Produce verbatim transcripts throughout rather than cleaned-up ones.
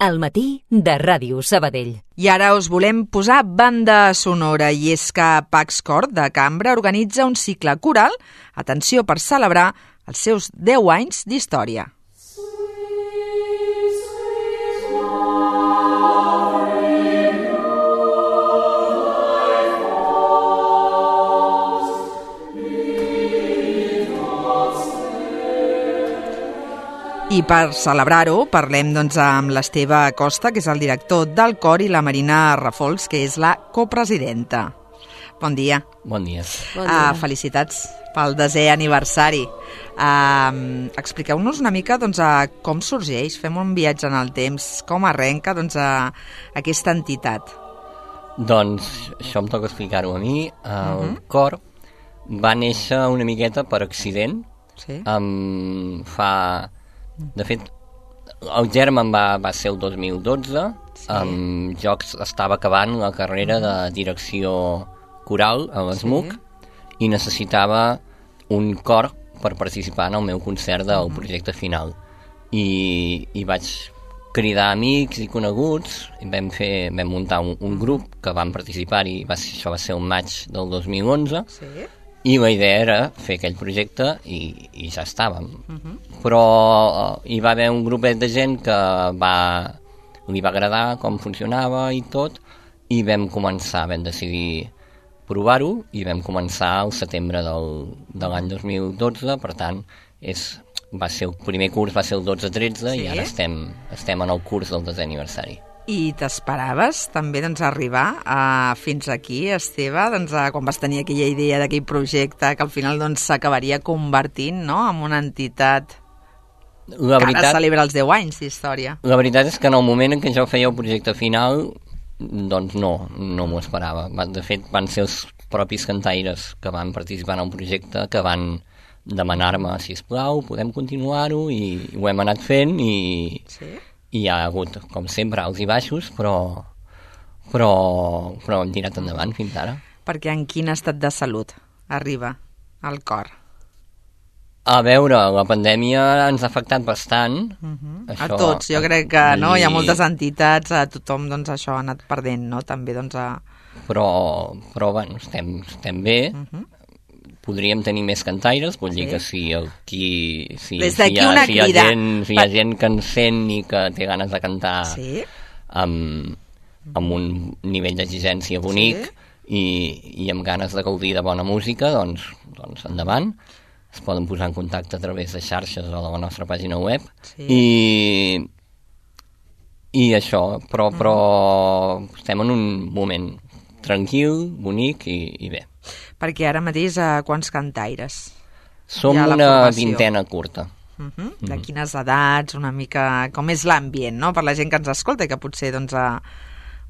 Al matí de Ràdio Sabadell. I ara us volem posar banda sonora, i és que Pax Cor de Cambra organitza un cicle coral, atenció, per celebrar els seus deu anys d'història. I per celebrar-ho parlem doncs, amb l'Esteve Acosta, que és el director del cor, i la Marina Rafols, que és la copresidenta. Bon dia. Bon dia. Bon dia. Uh, felicitats pel desè aniversari. Uh, expliqueu-nos una mica doncs, uh, com sorgeix, fem un viatge en el temps, com arrenca doncs, uh, aquesta entitat. Doncs això em toca explicar-ho a mi. El uh-huh. cor va néixer una miqueta per accident. Sí. Um, fa... De fet, el germen va, va ser el dos mil dotze. Sí. Um, jo estava acabant la carrera de direcció coral a l'ESMUC, sí. i necessitava un cor per participar en el meu concert del projecte final. I, i vaig cridar amics i coneguts, i vam, fer, vam muntar un, un grup que vam participar-hi, va ser, això va ser el maig del dos mil onze, sí. I la idea era fer aquell projecte i, i ja estàvem. Uh-huh. Però uh, hi va haver un grupet de gent que va, li va agradar com funcionava i tot, i vam començar, vam decidir provar-ho, i vam començar al setembre del, de l'any dos mil dotze, per tant, és, va ser el primer curs va ser el dotze tretze, sí. I ara estem, estem en el curs del desè aniversari. I t'esperaves també doncs, arribar a, fins aquí, Esteve, doncs, a, quan vas tenir aquella idea d'aquell projecte que al final doncs, s'acabaria convertint, no?, en una entitat la veritat, que ara celebra els deu anys d'història. La veritat és que en el moment en què jo feia el projecte final, doncs no, no m'ho esperava. De fet, van ser els propis cantaires que van participar en el projecte que van demanar-me, sisplau, podem continuar-ho, i ho hem anat fent, i... Sí? I hi ha hagut, com sempre, alts i baixos, però, però, però hem tirat endavant fins ara. Perquè en quin estat de salut arriba el cor? A veure, la pandèmia ens ha afectat bastant. Uh-huh. Això, a tots, jo crec que no, hi ha moltes entitats, a tothom doncs, això ha anat perdent, no? També, doncs, a... Però, però bueno, estem, estem bé. Uh-huh. Podríem tenir més cantaires, vull sí. dir que si aquí si, Des si, hi ha, si, hi ha gent, si hi ha per... gent que en sent i que té ganes de cantar sí. amb, amb un nivell d'exigència bonic, sí. i, i amb ganes de gaudir de bona música, doncs, doncs endavant. Es poden posar en contacte a través de xarxes o de la nostra pàgina web. Sí. I, i això, però, però mm. estem en un moment tranquil, bonic i, i bé. Perquè ara mateix a quants cantaires? Som una vintena curta. Uh-huh. Uh-huh. De quines edats, una mica... Com és l'ambient, no?, per la gent que ens escolta i que potser doncs, a...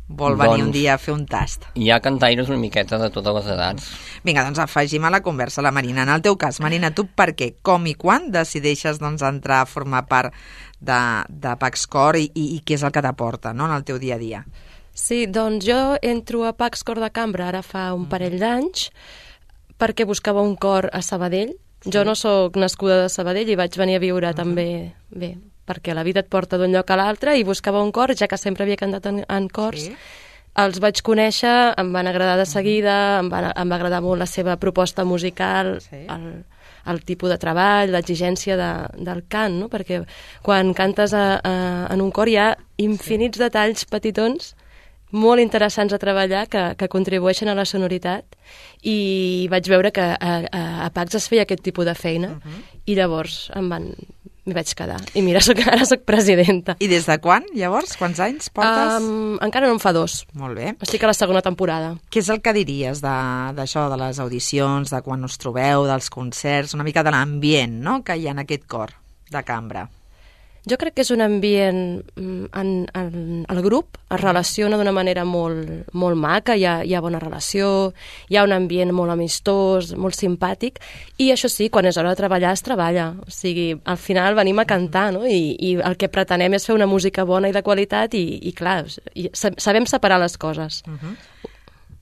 vol venir doncs, un dia a fer un tast. Hi ha cantaires una miqueta de totes les edats. Vinga, doncs afegim a la conversa la Marina. En el teu cas, Marina, tu per què, com i quan decideixes doncs, entrar a formar part de, de Pax Cor i, i, i què és el que t'aporta, no?, en el teu dia a dia? Sí, doncs jo entro a Pax Cor de Cambra ara fa un parell d'anys perquè buscava un cor a Sabadell. Sí. Jo no sóc nascuda de Sabadell i vaig venir a viure uh-huh. també, bé, perquè la vida et porta d'un lloc a l'altre, i buscava un cor, ja que sempre havia cantat en, en cors. Sí. Els vaig conèixer, em van agradar de seguida, uh-huh. em, va, em va agradar molt la seva proposta musical, sí. el, el tipus de treball, l'exigència de, del cant, no? Perquè quan cantes a, a, en un cor hi ha infinits sí. detalls petitons molt interessants a treballar que, que contribueixen a la sonoritat, i vaig veure que a, a, a Pax es feia aquest tipus de feina, uh-huh. i llavors em van, m'hi vaig quedar. I mira, soc, ara soc presidenta. I des de quan, llavors? Quants anys portes? Um, encara no en fa dos. Molt bé. Estic a la segona temporada. Què és el que diries d'això, de, de les audicions, de quan us trobeu, dels concerts, una mica de l'ambient, no?, que hi ha en aquest cor de cambra? Jo crec que és un ambient en, en el grup es relaciona d'una manera molt, molt maca, hi ha, hi ha bona relació, hi ha un ambient molt amistós, molt simpàtic, i això sí, quan és hora de treballar es treballa, o sigui, al final venim a cantar, no? I, i el que pretenem és fer una música bona i de qualitat, i, i clar, i sabem separar les coses. Uh-huh.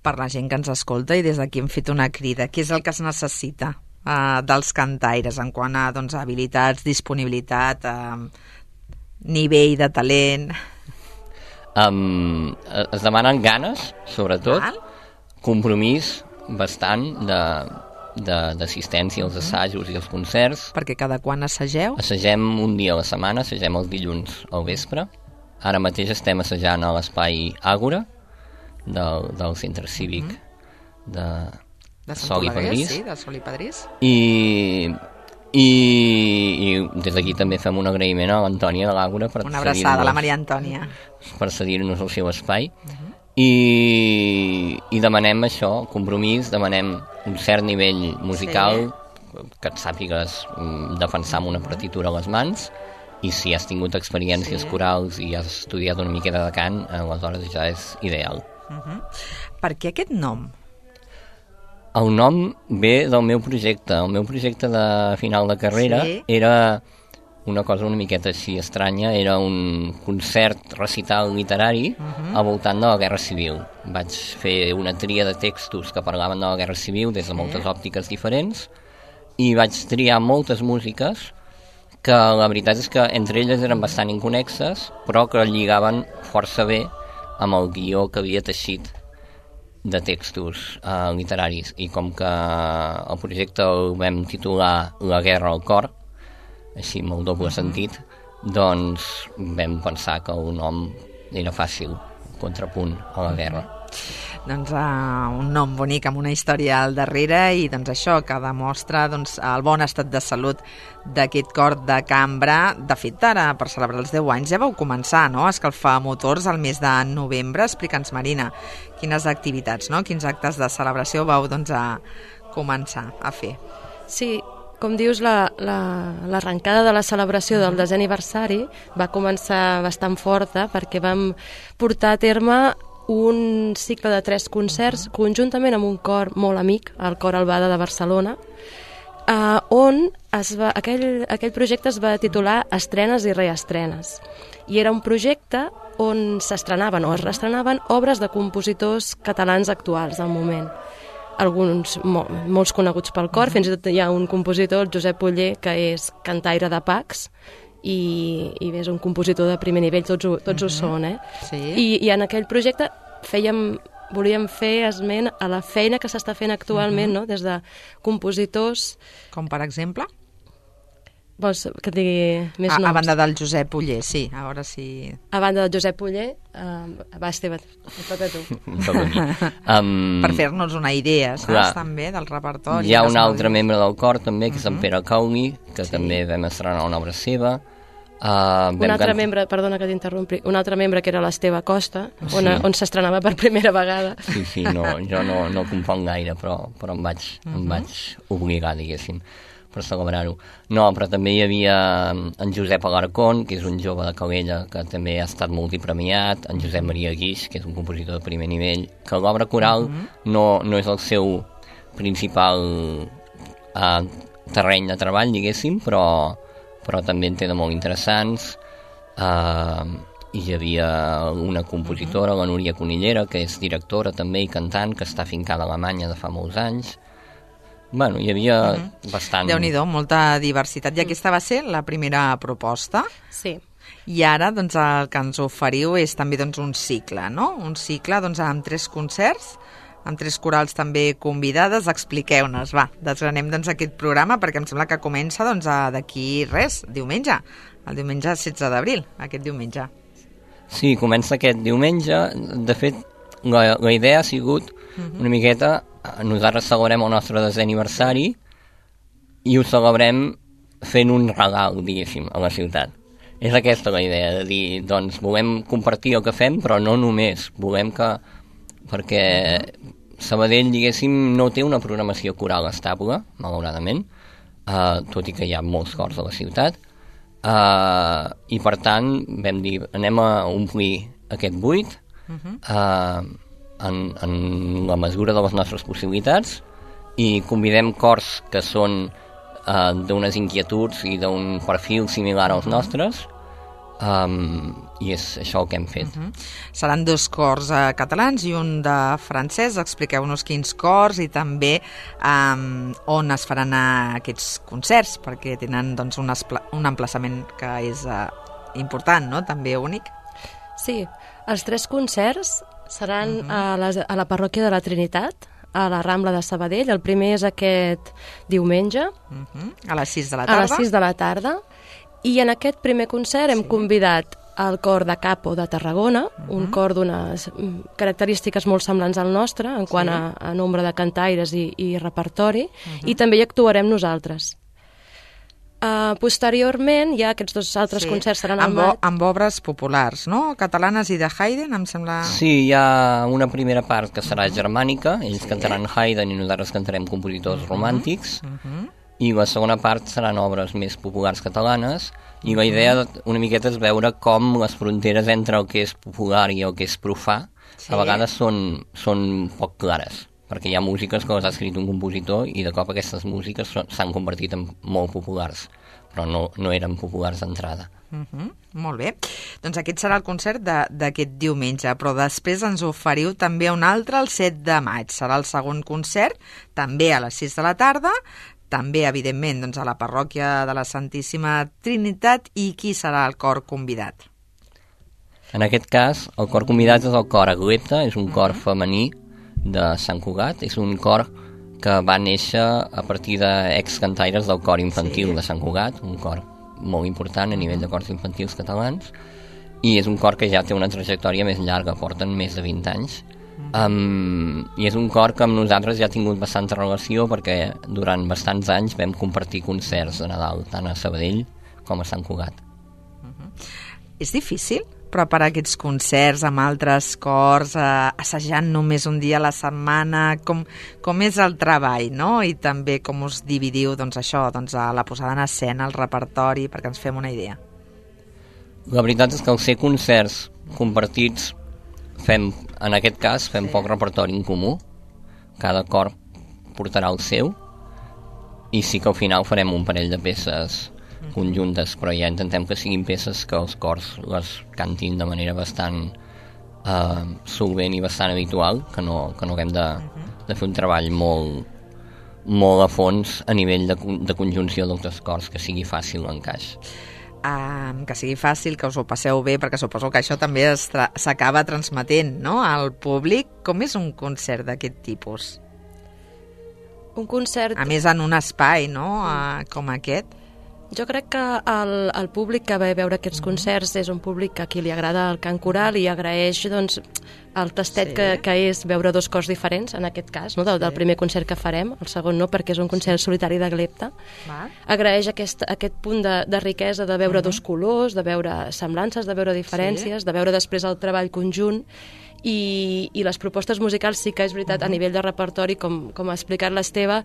Per la gent que ens escolta, i des d'aquí hem fet una crida, què és el que es necessita uh, dels cantaires en quant a doncs, habilitats, disponibilitat, uh, nivell de talent? Um, es demanen ganes, sobretot, Val. compromís bastant de d'assistència als assajos i als concerts. Perquè cada quan assageu? Assagem un dia a la setmana, assagem els dilluns al vespre. Ara mateix estem assajant a l'espai Àgora del, del centre cívic mm -hmm. de, de Sol i Pedrís. Sí, de Sol i Pedrís. I, i, i des d'aquí també fem un agraïment a l'Antònia de l'Àgora per una abraçada a la Maria Antònia per cedir-nos el seu espai. Uh -huh. I, i demanem això, compromís, demanem un cert nivell musical, sí. que et sàpigues defensar amb una partitura a les mans, i si has tingut experiències sí. corals i has estudiat una miqueta de cant, aleshores ja és ideal. Uh -huh. Per què aquest nom? El nom ve del meu projecte. El meu projecte de final de carrera sí. era una cosa una miqueta així estranya, era un concert recital literari uh-huh. al voltant de la Guerra Civil. Vaig fer una tria de textos que parlaven de la Guerra Civil des de moltes sí. òptiques diferents i vaig triar moltes músiques que la veritat és que entre elles eren bastant inconnexes, però que lligaven força bé amb el guió que havia teixit de textos uh, literaris. I com que el projecte el vam titular La guerra al cor, així amb el doble sentit, doncs vam pensar que el nom era fàcil, contrapunt a la guerra. Doncs uh, un nom bonic amb una història al darrere i doncs això que demostra doncs, el bon estat de salut d'aquest cor de cambra. De fet, ara per celebrar els deu anys ja vau començar, no?, a escalfar motors al mes de novembre. Explica'ns, Marina, quines activitats, no?, quins actes de celebració vau doncs, a començar a fer. Sí, com dius, l'arrencada la, la, de la celebració del desè aniversari va començar bastant forta perquè vam portar a terme un cicle de tres concerts conjuntament amb un cor molt amic, el Cor Albada de Barcelona, eh, on es va, aquell, aquell projecte es va titular Estrenes i reestrenes. I era un projecte on s'estrenaven o es reestrenaven obres de compositors catalans actuals del moment. Alguns mo, molts coneguts pel cor, fins i tot hi ha un compositor, el Josep Oller, que és cantaire de Pacs, i, i és un compositor de primer nivell, tots ho, tots uh-huh. ho són, eh? Sí. I, I en aquell projecte fèiem, volíem fer esment a la feina que s'està fent actualment, uh-huh. no?, des de compositors... Com per exemple? Vols que et digui més a, noms? A banda del Josep Oller, sí, a veure si... A banda del Josep Oller, uh, va, Esteve, et toca a tu. um, per fer-nos una idea, saps, clar, també, del repertori. Hi ha un altre membre del cor, també, que és en Pere Cauli, que sí. també vam estrenar una obra seva. Uh, un altre can... membre, perdona que t'interrompi, un altre membre que era l'Esteve Costa, sí. on, on s'estrenava per primera vegada. Sí, sí, no, jo no, no componc gaire, però, però em, vaig, uh -huh. em vaig obligar, diguéssim, per celebrar-ho. No, però també hi havia en Josep Alarcón, que és un jove de Calella que també ha estat multipremiat, en Josep Maria Guix, que és un compositor de primer nivell, que l'obra coral uh -huh. no, no és el seu principal uh, terreny de treball, diguéssim, però, però també en té de molt interessants. Uh, hi havia una compositora, uh -huh. la Núria Conillera, que és directora també i cantant, que està afincada a Alemanya de fa molts anys. Bueno, hi havia uh -huh. bastant... Déu-n'hi-do, molta diversitat. I aquesta va ser la primera proposta. Sí. I ara doncs, el que ens oferiu és també doncs, un cicle, no? Un cicle doncs, amb tres concerts, amb tres corals també convidades. Expliqueu-nos, va, desgranem doncs, aquest programa perquè em sembla que comença doncs, d'aquí res, diumenge, el diumenge setze d'abril, aquest diumenge. Sí, comença aquest diumenge. De fet, la, la idea ha sigut uh -huh. una miqueta... Nosaltres celebrem el nostre desè aniversari i ho celebrem fent un regal, diguéssim, a la ciutat. És aquesta la idea, de dir, doncs, volem compartir el que fem, però no només. Volem que... Perquè Sabadell, diguéssim, no té una programació coral estable, malauradament, uh, tot i que hi ha molts cors a la ciutat, uh, i per tant vam dir, anem a omplir aquest buit, uh-huh. uh, En, en la mesura de les nostres possibilitats, i convidem cors que són uh, d'unes inquietuds i d'un perfil similar als nostres, um, i és això el que hem fet. Uh-huh. Seran dos cors uh, catalans i un de francès. Expliqueu-nos quins cors i també um, on es faran uh, aquests concerts, perquè tenen doncs, un, espla- un emplaçament que és uh, important, no?, també únic. Sí, els tres concerts seran uh-huh. a, la, a la parròquia de la Trinitat, a la Rambla de Sabadell. El primer és aquest diumenge. Uh-huh. A les sis de la tarda. A les sis de la tarda. I en aquest primer concert sí. hem convidat el cor de Capo de Tarragona, uh-huh. un cor d'unes característiques molt semblants al nostre, en quant sí. a, a nombre de cantaires i, i repertori, uh-huh. i també hi actuarem nosaltres. Uh, posteriorment, ja aquests dos altres sí. concerts seran al maig. Amb obres populars, no? Catalanes i de Haydn, em sembla... Sí, hi ha una primera part que serà germànica, ells sí. cantaran Haydn i nosaltres cantarem compositors uh-huh. romàntics, uh-huh. i la segona part seran obres més populars catalanes, i la idea una miqueta és veure com les fronteres entre el que és popular i el que és profà sí. a vegades són, són poc clares, perquè hi ha músiques que les ha escrit un compositor i de cop aquestes músiques s'han convertit en molt populars, però no, no eren populars d'entrada. Uh-huh. Molt bé. Doncs aquest serà el concert d'aquest diumenge, però després ens oferiu també un altre el set de maig. Serà el segon concert, també a les sis de la tarda, també, evidentment, doncs, a la parròquia de la Santíssima Trinitat. I qui serà el cor convidat? En aquest cas, el cor convidat és el cor Aglepta, és un cor femení de Sant Cugat, és un cor que va néixer a partir d'ex-cantaires del cor infantil sí. de Sant Cugat, un cor molt important a nivell de cors infantils catalans, i és un cor que ja té una trajectòria més llarga, porten més de vint anys, Um, i és un cor que amb nosaltres ja ha tingut bastanta relació perquè durant bastants anys vam compartir concerts de Nadal tant a Sabadell com a Sant Cugat. Uh-huh. És difícil preparar aquests concerts amb altres cors, eh, assajant només un dia a la setmana, com, com és el treball, no? I també com us dividiu doncs, això, doncs, a la posada en escena, el repertori, perquè ens fem una idea. La veritat és que al ser concerts compartits fem, en aquest cas, fem sí. poc repertori en comú, cada cor portarà el seu, i sí que al final farem un parell de peces conjuntes, però ja intentem que siguin peces que els cors les cantin de manera bastant eh, solvent i bastant habitual, que no, que no haguem de, de fer un treball molt, molt a fons a nivell de, de conjunció d'altres cors, que sigui fàcil l'encaix. Um, que sigui fàcil, que us ho passeu bé, perquè suposo que això també s'acaba transmetent, no?, al públic. Com és un concert d'aquest tipus? Un concert... A més, en un espai, no?, uh, com aquest. Jo crec que el, el públic que ve a veure aquests mm-hmm. concerts és un públic a qui li agrada el cant coral i agraeix, doncs, el tastet sí. que, que és veure dos cors diferents, en aquest cas, no? del, del primer concert que farem, el segon no, perquè és un concert solitari de Glepta. Va. Agraeix aquest, aquest punt de, de riquesa de veure uh-huh. dos colors, de veure semblances, de veure diferències, sí. de veure després el treball conjunt, i, i les propostes musicals sí que és veritat, uh-huh. a nivell de repertori, com, com ha explicat l'Esteve,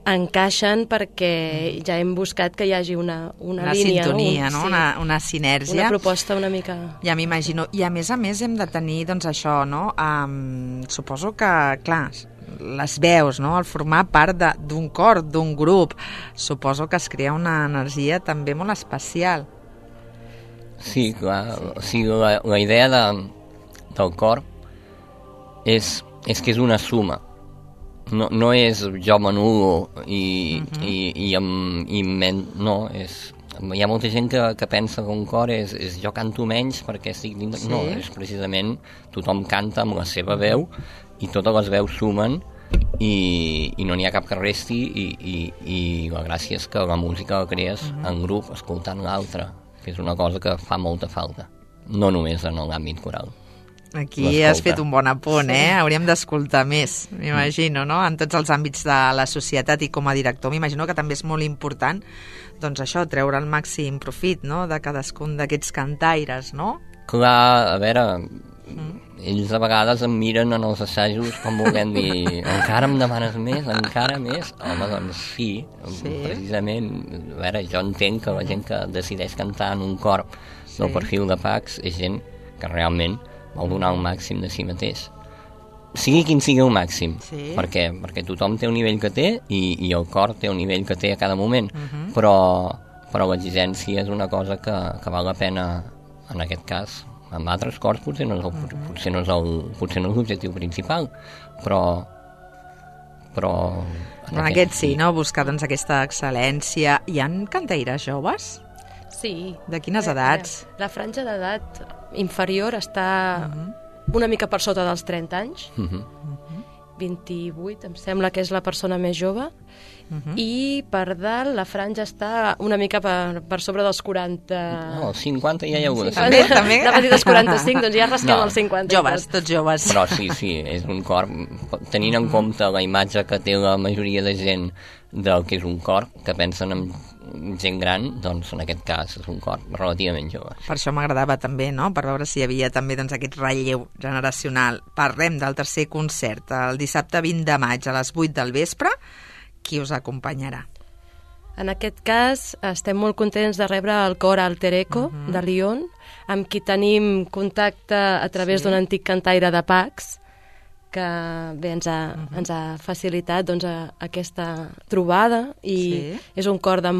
encaixen perquè ja hem buscat que hi hagi una, una, una línia, sintonia, no? no? Sí. Una, una sinergia. Una proposta una mica... Ja m'imagino. I a més a més hem de tenir, doncs això, no? Um, suposo que, clar, les veus, no? El formar part d'un cor, d'un grup, suposo que es crea una energia també molt especial. Sí, clar. Sí. O sigui, la, la idea de, del cor és, és que és una suma. No, no és jo m'anulo i, uh-huh. i, i, amb, i men, no, és, hi ha molta gent que, que pensa que un cor és, és jo canto menys perquè estic dins... Sí. No, és precisament tothom canta amb la seva veu i totes les veus sumen i, i no n'hi ha cap que resti i, i, i la gràcia és que la música la crees uh-huh. en grup, escoltant l'altre, que és una cosa que fa molta falta, no només en l'àmbit coral. Aquí has fet un bon apunt, eh? Hauríem d'escoltar més, m'imagino, no? En tots els àmbits de la societat i com a director, m'imagino que també és molt important, doncs això, treure el màxim profit, no?, de cadascun d'aquests cantaires, no? Clar, a veure, mm. ells a vegades em miren en els assajos com volent dir, encara em demanes més, encara més? Home, doncs sí, sí. precisament, a veure, jo entenc que la gent que decideix cantar en un cor del sí. perfil de Pax és gent que realment vol donar el màxim de si mateix. Sigui quin sigui el màxim, sí. perquè, perquè tothom té un nivell que té i, i el cor té un nivell que té a cada moment, uh-huh. però, però l'exigència és una cosa que, que val la pena, en aquest cas, amb altres cors potser no és el, uh-huh. potser no és el, potser no és l'objectiu principal, però... però en aquest, aquest sí, no? Buscar doncs, aquesta excel·lència. Hi ha cantaires joves? Sí. De quines edats? La franja d'edat inferior està uh-huh. una mica per sota dels trenta anys. Uh-huh. vint-i-vuit, em sembla que és la persona més jove. Uh-huh. I per dalt la franja està una mica per, per sobre dels quaranta... No, cinquanta ja hi ha hagut. També, també. Anava a dir dels quaranta-cinc, doncs ja rasquem No. els cinquanta. Joves, tots joves. Però sí, sí, és un cor, tenint en compte la imatge que té la majoria de gent del que és un cor, que pensen en gent gran, doncs en aquest cas és un cor relativament jove. Per això m'agradava també, no?, per veure si hi havia també doncs, aquest relleu generacional. Parlem del tercer concert, el dissabte vint de maig a les vuit del vespre. Qui us acompanyarà? En aquest cas estem molt contents de rebre el cor Alter Eco uh-huh. de Lyon, amb qui tenim contacte a través sí. d'un antic cantaire de Pax, que bé, ens, ha, uh-huh. ens ha facilitat doncs, a, aquesta trobada i sí. és un cor de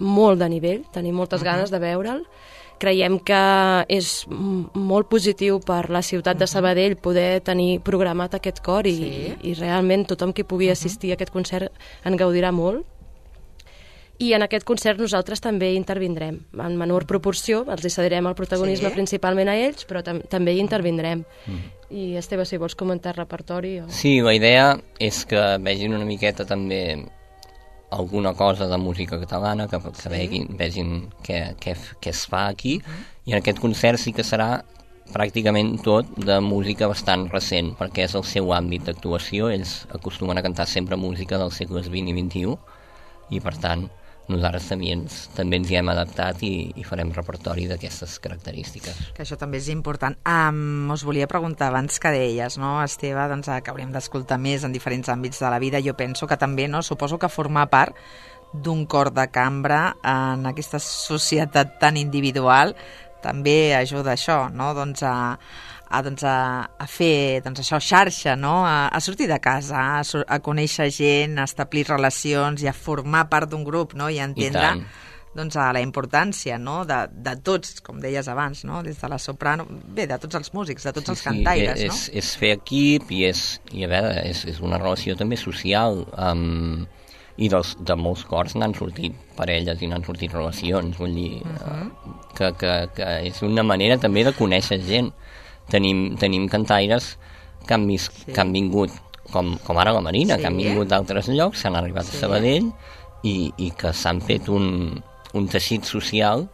molt de nivell, tenim moltes uh-huh. ganes de veure'l. Creiem que és molt positiu per la ciutat de Sabadell poder tenir programat aquest cor i, sí. i realment tothom qui pugui assistir a aquest concert en gaudirà molt. I en aquest concert nosaltres també intervindrem, en menor proporció, els hi cedirem el protagonisme sí. principalment a ells, però tam també hi intervindrem. Mm. I Esteve, si vols comentar repertori... O... Sí, la idea és que vegin una miqueta també alguna cosa de música catalana, que, que sí. vegin, vegin què, què, què es fa aquí, uh-huh. i en aquest concert sí que serà pràcticament tot de música bastant recent, perquè és el seu àmbit d'actuació. Ells acostumen a cantar sempre música dels segles vint i vint-i-u, i per tant nosaltres també ens, també ens hi hem adaptat i, i farem repertori d'aquestes característiques. Que això també és important. Um, us volia preguntar abans que deies, no, Esteve, doncs, que hauríem d'escoltar més en diferents àmbits de la vida. Jo penso que també, no, suposo que formar part d'un cor de cambra en aquesta societat tan individual també ajuda a això, no? Doncs a, a, doncs a, a fer doncs això, xarxa, no? A, a sortir de casa, a, a conèixer gent, a establir relacions i a formar part d'un grup, no? I a entendre doncs, a la importància, no? de, de tots, com deies abans, no? Des de la soprano, bé, de tots els músics, de tots sí, els cantaires. Sí, és, no? és fer equip i, és, i a veure, és, és una relació també social. Um, i dels, de molts cors n'han sortit parelles i n'han sortit relacions, vull dir, uh-huh. que, que, que és una manera també de conèixer gent. Tenim, tenim cantaires que han, vis, sí. que han vingut, com, com ara la Marina, sí. que han vingut d'altres llocs, s'han arribat sí. a Sabadell i, i que s'han fet un, un teixit social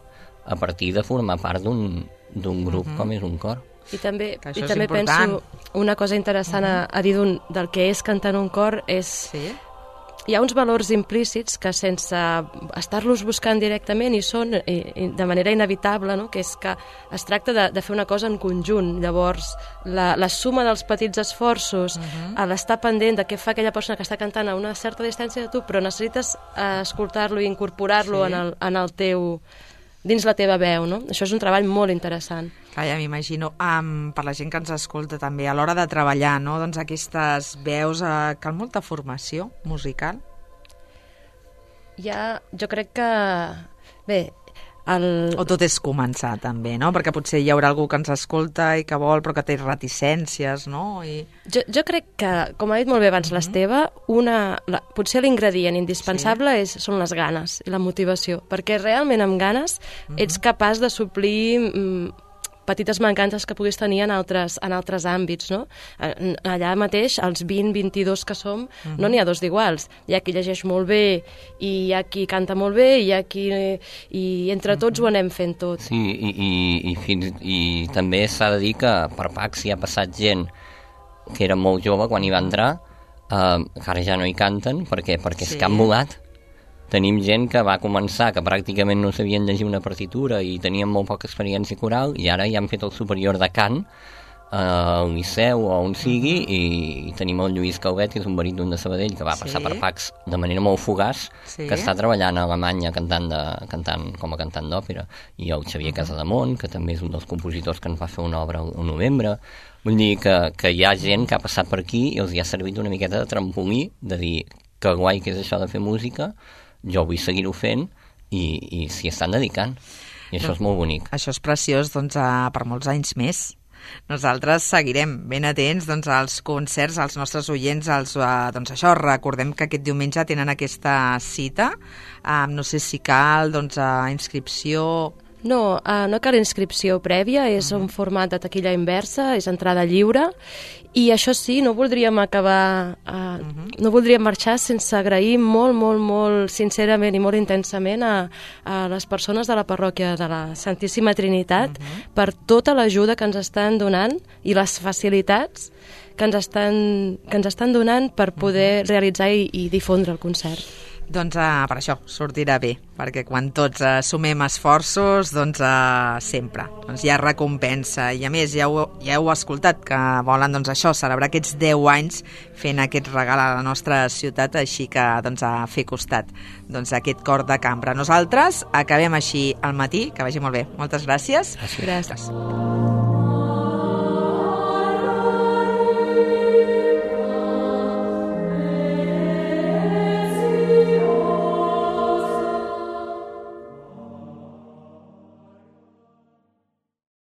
a partir de formar part d'un grup uh-huh. com és un cor. I també, i també penso una cosa interessant uh-huh. a, a dir del que és cantar en un cor és... Sí. Hi ha uns valors implícits que sense estar-los buscant directament hi són i, i de manera inevitable, no? Que és que es tracta de, de fer una cosa en conjunt. Llavors, la, la suma dels petits esforços, uh-huh. a l'estar pendent de què fa aquella persona que està cantant a una certa distància de tu, però necessites uh, escoltar-lo i incorporar-lo sí. en, el, en el teu... dins la teva veu, no? Això és un treball molt interessant. Ah, ja m'imagino. Um, per la gent que ens escolta també, a l'hora de treballar, no? Doncs aquestes veus, uh, cal molta formació musical? Ja, jo crec que... Bé, el... O tot és començar, també, no? Perquè potser hi haurà algú que ens escolta i que vol, però que té reticències, no? I... Jo, jo crec que, com ha dit molt bé abans mm-hmm. l'Esteve, una, la, potser l'ingredient indispensable sí. és, són les ganes i la motivació, perquè realment amb ganes mm-hmm. ets capaç de suplir... Mm, petites mancances que puguis tenir en altres, en altres àmbits, no? Allà mateix, els vint, vint-i-dos que som, uh-huh. no n'hi ha dos d'iguals. Hi ha qui llegeix molt bé, i hi ha qui canta molt bé, i hi ha qui... I entre tots uh-huh. ho anem fent tot. Sí, i, i, i, fins, i també s'ha de dir que per Pax hi ha passat gent que era molt jove quan hi va entrar, eh, que ara ja no hi canten, perquè, perquè sí. és que han volat. Tenim gent que va començar, que pràcticament no sabien llegir una partitura i tenien molt poca experiència coral, i ara ja han fet el superior de cant eh, al Liceu o on sigui, i, i tenim el Lluís Calvet, que és un baríton de Sabadell, que va passar sí. per Pax de manera molt fugaç, sí. que està treballant a Alemanya cantant, de, cantant com a cantant d'òpera, i el Xavier Casademont, que també és un dels compositors que ens va fer una obra al novembre. Vull dir que, que hi ha gent que ha passat per aquí i els hi ha servit una miqueta de trampolí, de dir que guai que és això de fer música, jo vull seguir-ho fent i, i s'hi estan dedicant. I això no, és molt bonic. Això és preciós, doncs, a, per molts anys més. nosaltres seguirem ben atents doncs, als concerts, als nostres oients, als, eh, doncs això, recordem que aquest diumenge tenen aquesta cita, eh, no sé si cal doncs, eh, inscripció... No, uh, no cal inscripció prèvia, és uh -huh. un format de taquilla inversa, és entrada lliure, i això sí, no voldríem acabar, uh, uh -huh. no voldríem marxar sense agrair molt, molt, molt sincerament i molt intensament a, a les persones de la parròquia de la Santíssima Trinitat uh -huh. per tota l'ajuda que ens estan donant i les facilitats que ens estan, que ens estan donant per poder uh -huh. realitzar i, i difondre el concert. Doncs uh, per això sortirà bé, perquè quan tots uh, sumem esforços, doncs uh, sempre doncs hi ha recompensa. I a més, ja heu, ja heu escoltat que volen doncs, això, celebrar aquests deu anys fent aquest regal a la nostra ciutat, així que doncs, a fer costat doncs, aquest cor de cambra. Nosaltres acabem així al matí, que vagi molt bé. Moltes gràcies. Gràcies. Gràcies.